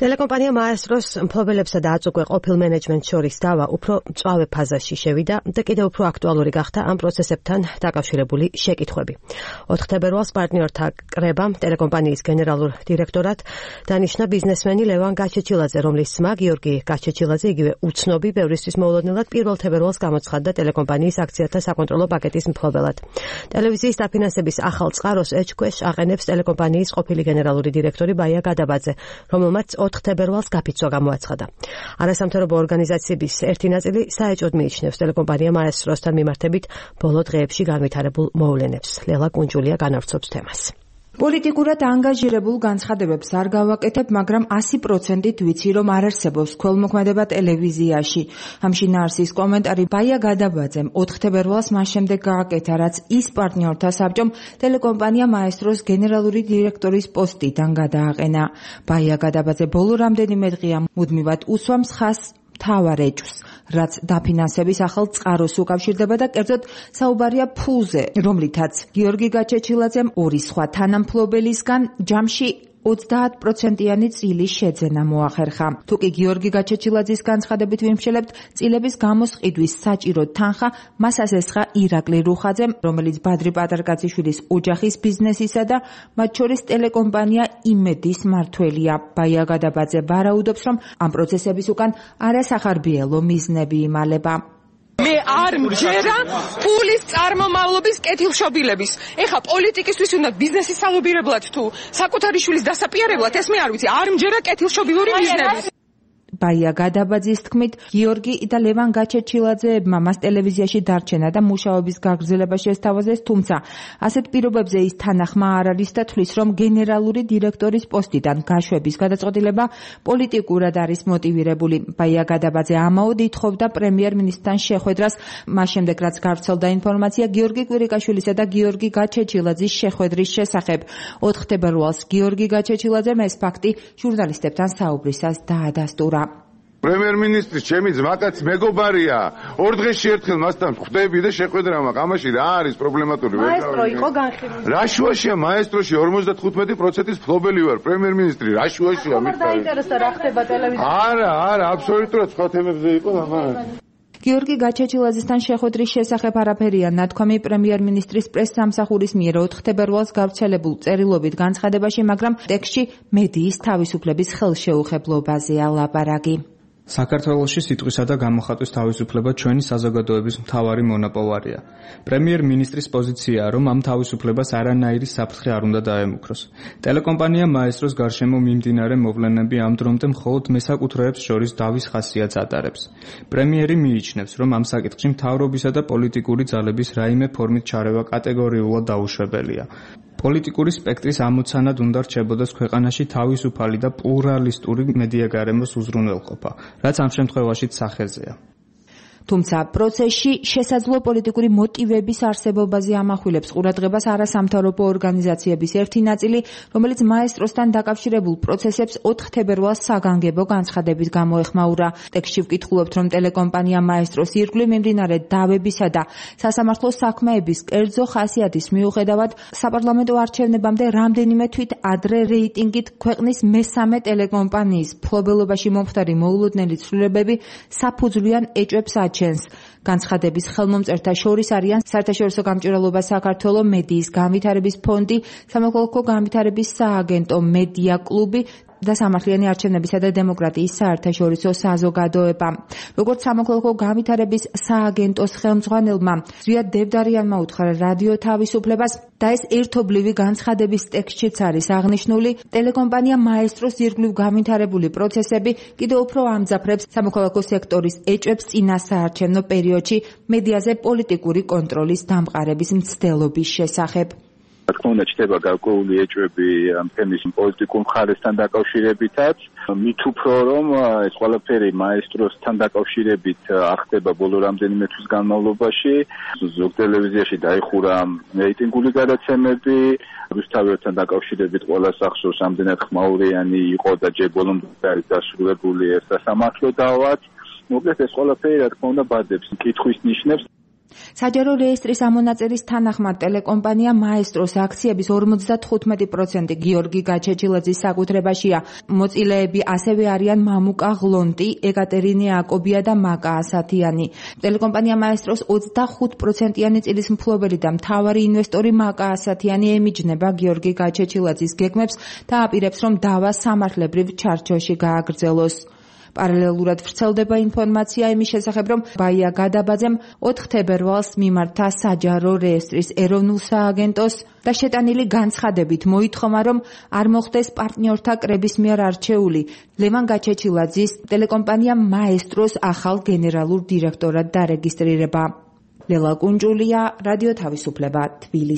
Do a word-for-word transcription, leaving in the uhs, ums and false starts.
ტელეკომპანია მაესტროს მფლობელებსა და აწუკვე ყოფილ მენეჯმენტს შორის დავა უფრო მწვავე ფაზაში შევიდა და კიდევ უფრო აქტუალური გახდა ამ პროცესებთან დაკავშირებული შეკითხვები. ოთხ თებერვალს პარტნიორთა კრებამ ტელეკომპანიის გენერალურ დირექტორად დანიშნა ბიზნესმენი ლევან გაჩეჩილაძე, რომლის ძმა გიორგი გაჩეჩილაძე იგივე უცნობი ბევრისთვის მოულოდნელად პირველ თებერვალს გამოცხადდა ტელეკომპანიის აქციათა საკონტროლო პაკეტის მფლობელად. ტელევიზიის დაფინანსების ახალ წყაროს ეჭქვეშ აყენებს ტელეკომპანიის ყოფილი გენერალური დირექტორი ბაია გადაბაძე, რომელმაც ოთხ თებერვალს გაფიცვა გამოაცხადა. არასამთავრობო ორგანიზაციების ერთი ნაწილი საეჭვოდ მიიჩნევს ტელეკომპანია მაესტროსთან მიმართებით ბოლო დღეებში განვითარებულ მოვლენებს. ლელა კუნჯულია განავრცობს თემას. პოლიტიკურად ანგაჟირებულ განცხადებებს არ გავაკეთებ, მაგრამ ასი პროცენტით ვიცი, რომ არ არსებობს ქველმოქმედება ტელევიზიაში. ამ შინაარსის კომენტარი ბაია გადაბაძემ ოთხ თებერვალს მას შემდეგ გააკეთა, რაც ის პარტნიორთა საბჭომ ტელეკომპანია მაესტროს გენერალური დირექტორის პოსტიდან გადააყენა. ბაია გადაბაძე ბოლო რამდენიმე დღეა მუდმივად უსვამს ხაზს მთავარ ეჭვს, რაც დაფინანსების ახალ წყაროს უკავშირდება და კერძოდ საუბარია ფულზე, რომლითაც გიორგი გაჩეჩილაძემ ორი სხვა თანამფლობელისგან ჯამში ოცდაათ პროცენტიანი წილის შეძენა მოახერხა. თუკი გიორგი გაჩეჩილაძის განცხადებით ვიმშელებთ, წილების გამოსყიდვის საჭირო თანხა მას ასესხა ირაკლი რუხაძემ, რომელიც ბადრი პატარკაციშვილის ოჯახის ბიზნესისა და მათ შორის ტელეკომპანია იმედის მმართველია. ბაია გადაბაძე ვარაუდობს, რომ ამ პროცესების უკან არასახარბიელო მიზნები იმალება. მე არ მჯერა ფულის წარმომავლობის კეთილშობილების. ეხა პოლიტიკისთვის უნდა ბიზნესის სალობირებლად თუ საკუთარი შვილის დასაპირებლად, ეს მე არ ვიცი, არ მჯერა კეთილშობილური მიზნები. ბაია გადაბაძის თქმით, გიორგი და ლევან გაჩეჩილაძეებმა მას ტელევიზიაში დარჩენა და მუშაობის გაგრძელება შესთავაზეს, თუმცა ასეთ პირობებზე ის თანახმა არ არის და თვლის, რომ გენერალური დირექტორის პოსტიდან გაშვების გადაწყვეტილება პოლიტიკურად არის მოტივირებული. ბაია გადაბაძე ამაოდ ითხოვდა პრემიერ-მინისტრთან შეხვედრას, მას შემდეგ რაც გავრცელდა ინფორმაცია გიორგი კვირიკაშვილისა და გიორგი გაჩეჩილაძის შეხვედრის შესახებ. ოთხ თებერვალს გიორგი გაჩეჩილაძემ ეს ფაქტი ჟურნალისტებთან საუბრისას დაადასტურა. პრემიერ-მინისტრის ჩემი ძმაკაც მეგობარია. ორ დღეში ერთხელ მასთან ხვდები და შეხვედრა მაქვს. ამაში რა არის პრობლემატური? მაესტრო იყო განხილული. რა შუაშია მაესტროში ორმოცდათხუთმეტი პროცენტის მფლობელი ვარ, პრემიერ-მინისტრი. რა შუაშია მითხარი? დაინტერესდა რა ხდება ტელევიზიაში. არა, არა, აბსოლუტურად სხვა თემებზე იყო ამან. გიორგი გაჩეჩილაძესთან შეხვედრის შესახებ არაფერია ნათქვამი პრემიერ-მინისტრის პრესსამსახურის მიერ ოთხ თებერვალს გავრცელებულ წერილობით განცხადებაში, მაგრამ ტექსტში მედიის თავისუფლების ხელშეუხებლობაზეა ლაპარაკი. საქართველოში სიტყვისა და გამოხატვის თავისუფლება ჩვენი საზოგადოების მთავარი მონოპოლარია. პრემიერ-მინისტრის პოზიციაა, რომ ამ თავისუფლებას არანაირი საფრთხე არ უნდა დაემუქროს. ტელეკომპანია მაესტროს გარშემო მიმდინარე მოვლენები ამ დრომდე მხოლოდ მესაკუთრეებს შორის დავის ხასიათს ატარებს. პრემიერი მიიჩნევს, რომ ამ საკითხში მთავრობისა და პოლიტიკური ძალების რაიმე ფორმით ჩარევა კატეგორიულად დაუშვებელია. პოლიტიკური სპექტრის ამოცანად უნდა რჩებოდეს ქვეყანაში თავისუფალი და პლურალისტური მედიაგარემოს უზრუნველყოფა, რაც ამ შემთხვევაშიც სახეზეა. თუმცა პროცესში შესაძლო პოლიტიკური მოტივების არსებობაზე ამახვილებს ყურადღებას არასამთავრობო ორგანიზაციების ერთი ნაწილი, რომელიც მაესტროსთან დაკავშირებულ პროცესებს ოთხ თებერვალს საგანგებო განცხადებით გამოეხმაურა. ტექსტში ვკითხულობთ, რომ ტელეკომპანია მაესტროს ირგვლივ მიმდინარე დავებისა და სასამართლო საქმეების კერძო ხასიათის მიუხედავად საპარლამენტო არჩევნებამდე რამდენიმე თვით ადრე რეიტინგით ქვეყნის მესამე ტელეკომპანიის მფლობელობაში მომხდარი მოულოდნელი ცვლილებები საფუძვლიან ეჭვებს ჩენს. განცხადების ხელმომწერთა შორის არიან საერთაშორისო გამჭვირვალობა საქართველოს მედიის განვითარების ფონდი, სამოქალაქო განვითარების სააგენტო მედია კლუბი და სამართლიანი არჩევნებისა და დემოკრატიის საერთაშორისო საზოგადოება. როგორც სამოქალაქო განვითარების სააგენტოს ხელმძღვანელმა ზვიად დევდარიანმა უთხრა რადიო თავისუფლებას და ეს ერთობლივი განცხადების ტექსტშიც არის აღნიშნული, ტელეკომპანია მაესტროს ირგვლივ განვითარებული პროცესები კიდევ უფრო ამძაფრებს სამოქალაქო სექტორის ეჭვებს წინა საარჩევნო პერიოდში მედიაზე პოლიტიკური კონტროლის დამყარების მცდელობის შესახებ. რა თქმა უნდა, ჩდება გარკვეული ეჭვები ამ თემის პოლიტიკურ მხარესთან დაკავშირებითაც. მით უფრო რომ ეს ყველაფერი მაესტროსთან დაკავშირებით ახდება ბოლო რამდენიმე თვის განმავლობაში, ზოგ ტელევიზიაში დაიხურა რეიტინგული გადაცემები, რუსთაველთან დაკავშირებით ყველას ახსოვს, ამდენად ხმაურიანი იყო და ჯერ ბოლომდე არის დასრულებული ეს სასამართლო დავაც. მოკლედ ეს ყველაფერი რა თქმა უნდა ბადებს კითხვის ნიშნებს. საჯარო რეესტრის ამონაწერის თანახმად ტელეკომპანია მაესტროს აქციების ორმოცდათხუთმეტი პროცენტი გიორგი გაჩეჩილაძის საკუთრებაშია. მოწილეები ასევე არიან მამუკა ღლონტი, ეკატერინე აკობია და მაკა ასათიანი. ტელეკომპანია მაესტროს ოცდახუთ პროცენტიანი წილის მფლობელი და მთავარი ინვესტორი მაკა ასათიანი ემიჯნება გიორგი გაჩეჩილაძის გეგმებს და აპირებს, რომ დავა სამართლებრივ ჩარჩოში გააგრძელოს. პარალელურად ვრცელდება ინფორმაცია იმის შესახებ, რომ ბაია გადაბაძემ ოთხ თებერვალს მიმართა საჯარო რეესტრის ეროვნულ სააგენტოს და შეტანილი განცხადებით მოითხოვა, რომ არ მოხდეს პარტნიორთა კრების მიერ არჩეული ლევან გაჩეჩილაძის ტელეკომპანია მაესტროს ახალ გენერალურ დირექტორად დარეგისტრირება. ლელა კუნჯულია, რადიო თავისუფლება, თბილისი.